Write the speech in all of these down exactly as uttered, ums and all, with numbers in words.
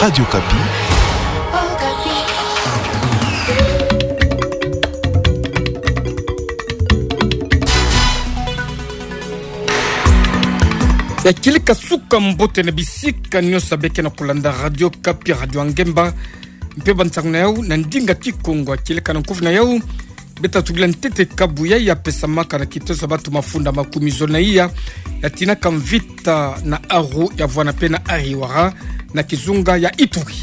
Radio Okapi. Ya kieleka suka mbote na bisika nyonso beke na kolanda Radio Okapi, Radio ya Ngemba. Mpe bansangu na yau na ndinga Kikongo, ya kieleka na nkufi na yau. Beta tubila ntete kabu yayi ya pesamaka na kiteso ya batu mafunda makumi zole na iya, ya tinaka mvita na Aru, ya vuana mpe na Ariwara, na kizunga ya Ituri.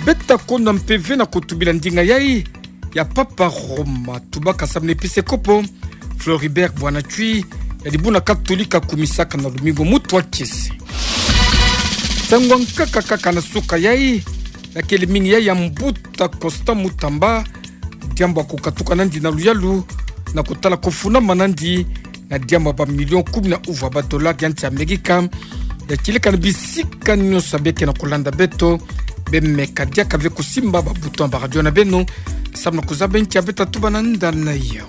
Beta konda mpe ve na kutubila ndinga yayi ya Papa Roma tubaka samu na episekopo Floribert Bwana Tshwi, ya dibuna Katolika kumisaka na lumingu mutu wa kiese. Nsangu ya nkaka kaka na suka yayi, ya kele mingi yayi ya mbuta Constant Mutamba, diambu ya kukatuka nandi na luyalu, na kutala kufunama nandi na diambu ya ba million kumi na uvu ya ba dollars ya nsi Amerika, ya kieleka na bisika nyonso beke na kolanda beto, bemeka diaka ve kusimba ba bouton ya ba radio na beno, samu na kuzaba nki ya beta tuba na ndani na yau.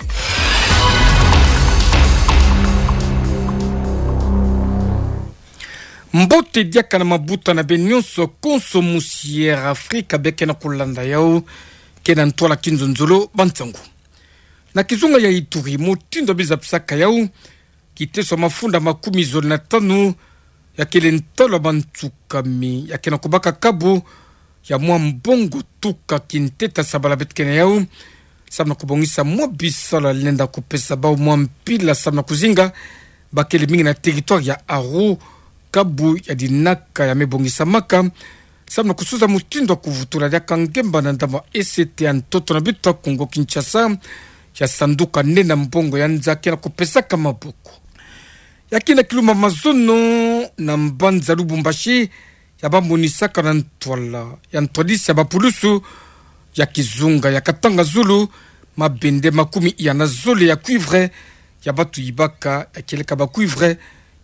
Mbote diaka na mabuta na beno nyonso, konso musi Air Afrika beke na kolanda yau, ke na ntwala kinzonzolo, bansangu. Na kizunga ya Ituri, mutindu ya biza pisaka yau, kiteso ya mafunda makumi zole na tanu, ya kele ntalu ya bantsukami, ya kena kubaka kabu ya mwa mbongo tuka kinteta sabala beto ke na yau, samu na kubongisa mwa bisalu ya lenda kupesa bau mwa mpila samu na kuzinga ba kele mingi na territoire ya Aru, kabu ya dinaka ya me bongisamaka, samu na kusuza mutindu ya kuvutula diaka ngemba na ndambu ya E C T ya ntoto na beto ya Kongo Kinshasa, ya sanduka nene ya mbongo ya nza ke na kupesaka maboko. Ya ke na kilumbu ya mazono na mbanza Lubumbashi, ya ba monisaka na ntwala ya ntwadisi ya bapulusu ya kizunga ya Katanga zulu mabende makumi iya na zole ya cuivre, ya batu yibaka, ya kieleka ba cuivre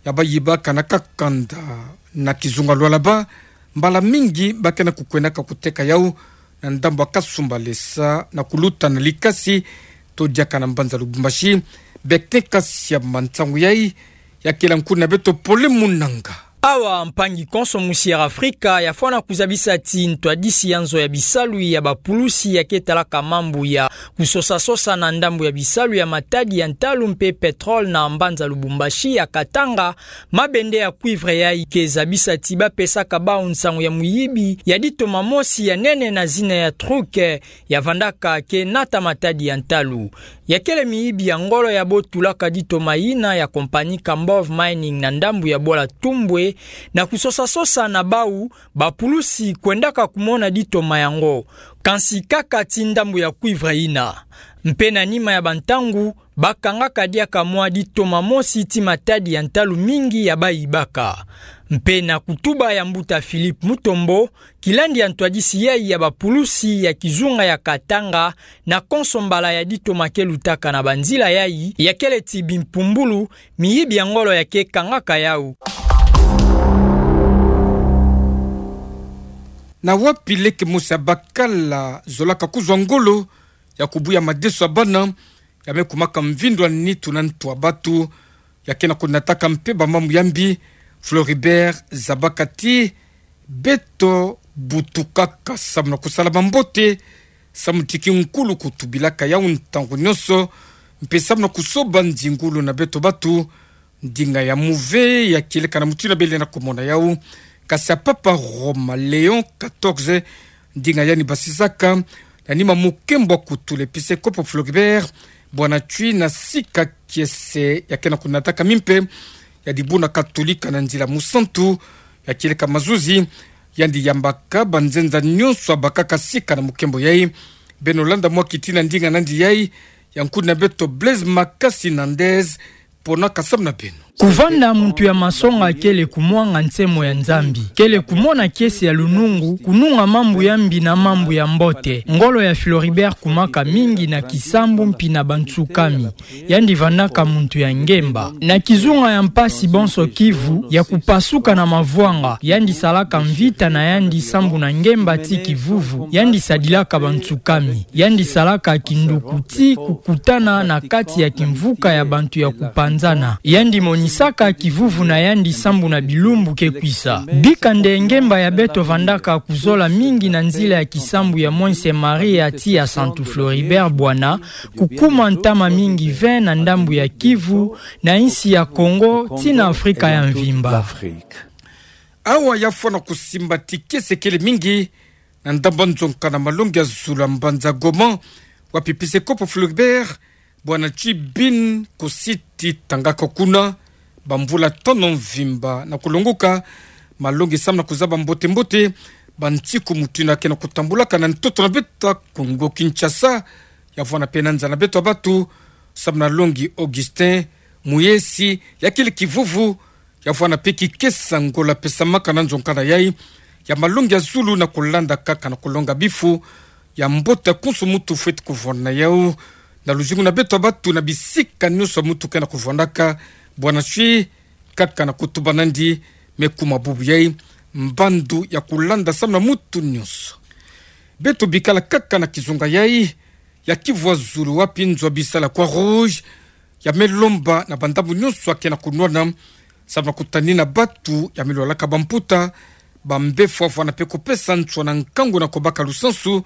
ya bayibaka na kakanda na kizunga Lualaba, mbala mingi ba ke na kukwendaka kuteka yau na ndambu ya Kasumbalesa na kuluta na Likasi, to diaka na mbanza Lubumbashi. Beke kasi ya mansangu yayi, ya kele nkuna beto Pole Munanga. Awa mpangi konso musi Air Afrika ya fwana kuzabisa ti ntwadisi ya nzo ya bisalu ya bapulusi ya ke talaka mambu ya kusosa-sosa na ndambu ya bisalu ya matadi ya ntalu mpe pétrole na mbanza Lubumbashi ya Katanga, mabende ya cuivre yayi ke zabisa ti ba pesaka bau nsangu ya muyibi ya ditoma mosi ya nene na zina ya truc, ya vandaka ke nata matadi ya ntalu. Ya kele miyibi ya ngolo ya botulaka ditoma yina ya compagnie Kambov Mining na ndambu ya Bola Tumbwe, na kusosa-sosa na bau, bapulusi kwendaka kumona ditoma yango, kansi kaka ti ndambu ya cuivre yina. Mpe na nima ya bantangu, ba kangaka diaka mwa ditoma mosi ti matadi ya ntalu mingi ya bayibaka. Mpe na kutuba ya mbuta Philippe Mutombo, kilandi ya ntwadisi yayi ya bapulusi ya kizunga ya Katanga, na konso mbala ya ditoma ke lutaka na banzila yayi, ya kele ti bimpumbulu, miyibi ya ngolo ya ke kangaka yau. Na wapi leke mosi ya bakala zolaka kuzwa ngolo ya kubuya madeso ya bana, ya me kumaka mvindu ya nitu na ntu ya batu, ya ke na kunataka mpe bamambu ya mbi, Floribert zabaka ti beto butukaka samu na kusala mambote, samu ti kinkulu kutubilaka yau ntangu nyonso, mpe samu na kusoba nzingulu na beto batu. Ndinga ya muve ya kieleka na mutindu bele na kumona yau, kasi ya Papa Roma Léon quatorze, ndinga yandi basisaka na nima mukembo kutula episekopo Floribert Bwana Tshwi na sika kiese, ya ke na kunataka mbi mpe ya dibuna Katolika na nzila musantu, ya kieleka mazuzi, yandi yambaka banzenza nyonso ya bakaka sika na mukembo yayi. Beno landa mwa kiti na ndinga nandi yayi, ya nkuna beto Blaise Makasi Nandez, pona kasamu na beno. Kuvanda muntu ya masonga kele kumwanga nsemo ya Nzambi, kele kumona kiese ya lunungu, kununga mambu ya mbi na mambu ya mbote. Ngolo ya Floribert kumaka mingi na kisambu mpi na bantsukami. Yandi vandaka muntu ya ngemba. Na kizunga ya mpasi bonso Kivu, ya kupasuka na mavwanga, yandi salaka mvita na yandi sambu na ngemba ti kivuvu, yandi sadilaka bantsukami. Yandi salaka kinduku ti kukutana na kati ya kimvuka ya bantu ya kupanzana. Yandi moni Saka kivuvu na yandi sambu na bilumbu ke kwisa. Bika nde ngemba ya beto vandaka kuzola mingi na nzila ya kisambu ya Mwense Maria tii ya Santu Floribert Bwana, kukuma ntama mingi ve na ndambu ya Kivu, na insi ya Kongo, tii na Afrika ya mvimba. Awa yafwana kusimba ti kiese kele mingi na ndambu nzonka na malongi ya zulu ya mbanza Goma, wapi episekopo Floribert Bwana Chibin Kositi tangaka kuna bamvula tano mvimba na kulongoka. Malongi samu na kuzaba mbote-mbote bantiku mutindu ya ke na kutambulaka na ntoto na beto Kongo Kinshasa. Yavwanda mpe na nza na beto ya batu samu na longi Augustin Muyesi, ya kele kivuvu. Yavwanda mpe kikesa ngola pesamaka na nzonka na yai ya malongi ya zulu na kulanda kaka na kulonga bifu ya mbote ya konso mutu fweti kuvwanda na yau na luzingu na beto ya batu na bisika nionso mutu ke na kuvwandaka. Bwana Chibin kaka na kutuba nandi, me kuma bubu yai mbandu ya kulanda samu na mutu nionso. Beto bikala kaka na kizunga yai ya Kivu ya zulu, wapi nzo ya bisala Croix-Rouge ya me lomba na bandambu nionso ya ke na kunwana samu na kutanina batu ya me lwalaka bamputa, bambefu, vwanda mpe kupesa nswa na nkangu na kubaka lusansu.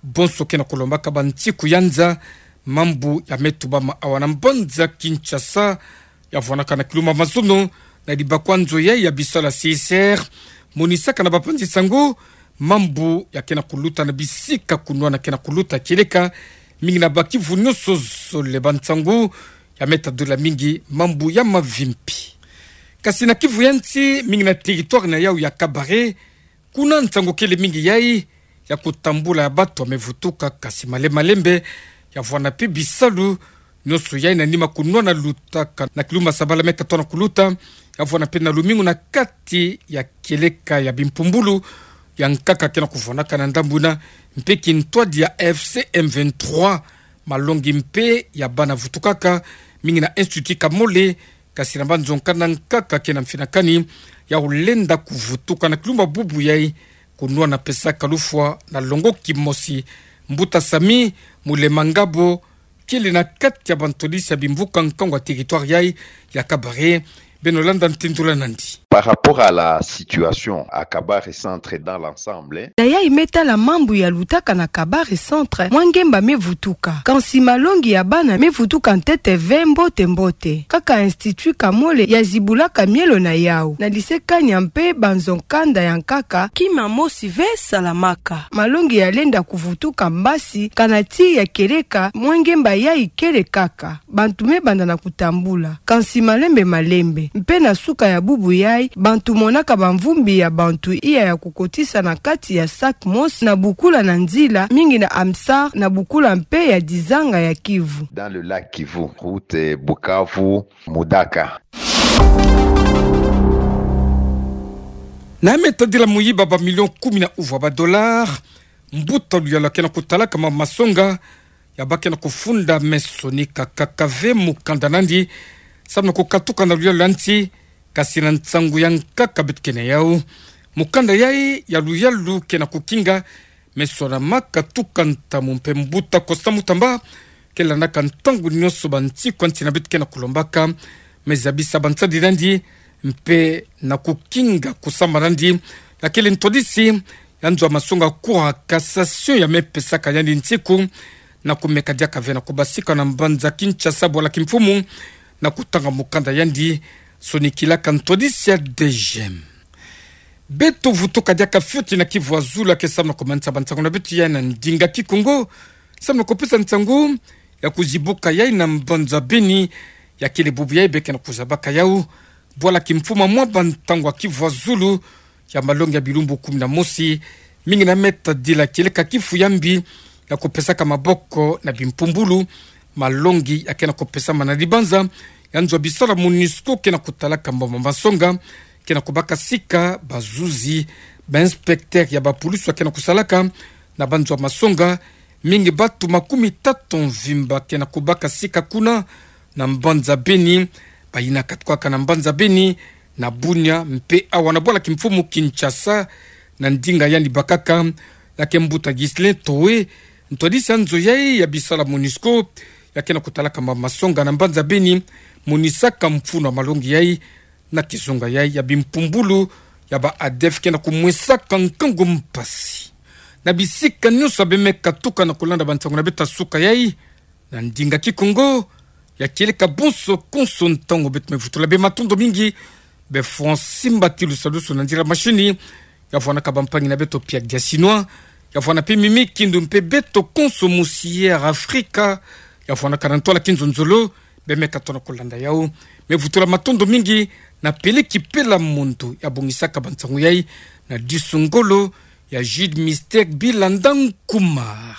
Bonso ke na kulombaka bantiku ya nza. Mambu ya me tubama awa na mbanza Kinshasa, yavwandaka na kiluma mazono na dibakwa nzo yai ya bisala C S R, monisaka na bapanzi sango mambu ya ke na kuluta na bisika kunwana ke na kuluta kieleka, mingi na ba Kivu nionso zole. Bansango ya me tadula mingi mambu ya mavimpi. Kasi na Kivu ya nsi, mingi na territoire na yau ya Kabare, kuna nsango kele mingi yai ya kutambula ya batu ya me vutuka, kasi male-, malembe, yavwanda mpe bisalu nionso yai na nima kunwana lutaka na kiluma sabala me katoa na kuluta, yavwanda mpe na lumingu na kati ya kieleka ya bimpumbulu ya nkaka ke na kuvwandaka na ndambu yina, mpe kintwadi ya F C M vingt-trois. Malongi mpe ya bana vutukaka mingi na Institut Kamole, kasi na mbanzo nkanda nkaka ke na mfinakani ya kulenda kuvutuka na kiluma bubu yai, kunwana pesaka lufwa na longo kimosi. Mbuta Sami Mulema Ngabo kele na kati ya bantwadisi ya bimvuka nkangu ya territoire yai ya Kabare. Beno landa ntindula nandi. Par rapport à la situation à Kabare Centre dans l'ensemble, na yai me tala mambu ya lutaka na Kabare Centre, mwa ngemba me vutuka. Kansi malongi ya bana me vutuka ntete ve mbote-mbote. Kaka Institut Kamole ya zibulaka mielo na yau. Na lycée Kania mpe banzo nkanda ya nkaka, kima mosi ve salamaka. Malongi ya lenda kuvutuka mbasi, kana tii ya kieleka, mwa ngemba yai kele kaka. Bantu me banda na kutambula. Kansi malembe-malembe. Mpe na suka ya bubu yai, bantu monaka bamvumbi ya bantu iya ya kukotisa na kati ya sac mosi na bukula na nzila, mingi na Amsar na bukula mpe ya dizanga ya Kivu. Dans le lac Kivu, route Bukavu, Mudaka. Na me tadila muyiba ba million kumi na uvu ya ba dollars, mbuta luyalu ya ke na kutalaka ma masonga, ya ba ke na kufunda me sonika kaka ve mukanda nandi samu na kukatuka na luyalu ya nsi, kasi na nsangu ya nkaka beto ke na yau. Mukanda yai ya luyalu ke na kukinga me sonamaka tuka ntamu, mpe mbuta Constant Mutamba ke landaka ntangu nionso bansiku ya nsi na beto ke na kulombaka me zabisa bansadi nandi, mpe na kukinga kusamba nandi. Ya kele ntwadisi ya nzo ya masonga Cour ya cassation ya me pesaka yandi nsiku na kumeka diaka ve na kubasika na mbanza Kinshasa bwala kimfumu na kutanga mukanda yandi sonikilaka ntwadisi ya D G M. Beto vutuka diaka fioti na Kivu ya zulu ya ke samu na kumanisa bansangu na beto yai na ndinga Kikongo, samu na kupesa nsangu ya kuzibuka yai na mbanza Beni, ya kele bubu yai be ke na kuzabaka yau bwala kimfumu mwa bantangu ya Kivu ya zulu ya malongi ya bilumbu kumi na mosi, mingi na me tadila kieleka kifu ya mbi ya kupesaka maboko na bimpumbulu. Malongi ya ke na kupesama na dibanza ya nzo ya bisala MONUSCO ke na kutalaka mboma masonga, ke na kubaka sika bazuzi, ba inspecteur ya bapulusu ya ke na kusalaka na banzo ya masonga, mingi batu makumi tatu mvimba ke na kubaka sika kuna na mbanza Beni, bayina katuka kaka na mbanza Beni, na Bunia, mpe awa na bwala kimfumu Kinshasa, na ndinga yandi bakaka, ya ke mbuta Ghislain Towe, ntwadisi ya nzo yai ya bisala MONUSCO, ya ke na kutalaka ma masonga na mbanza Beni, monisaka mfunu ya malongi yai na kizunga yai ya bimpumbulu ya ba ADEFKI na kumwesaka nkangu mpasi. Na bisika nyonso ya beme katuka na kulanda bansangu na beto ya suka yai na ndinga Kikongo, ya kieleka bonso konso ntangu beto me vutula bem matondo mingi. Be Francis Mbatilu salusu na nzila mashini, ya vwanaka bampangi na beto Pierre Diasinois, ya vwana pe Mimi Kindu mpe beto konso mosi Air Africa, ya vwanaka na ntwala kinzonzolo, beme katona kulanda yau. Me vutula matondo mingi na Peleki Pela Mondo ya bongisaka bansangu yai na disu ngolo ya Jude Mystère Bilanda Nkumar.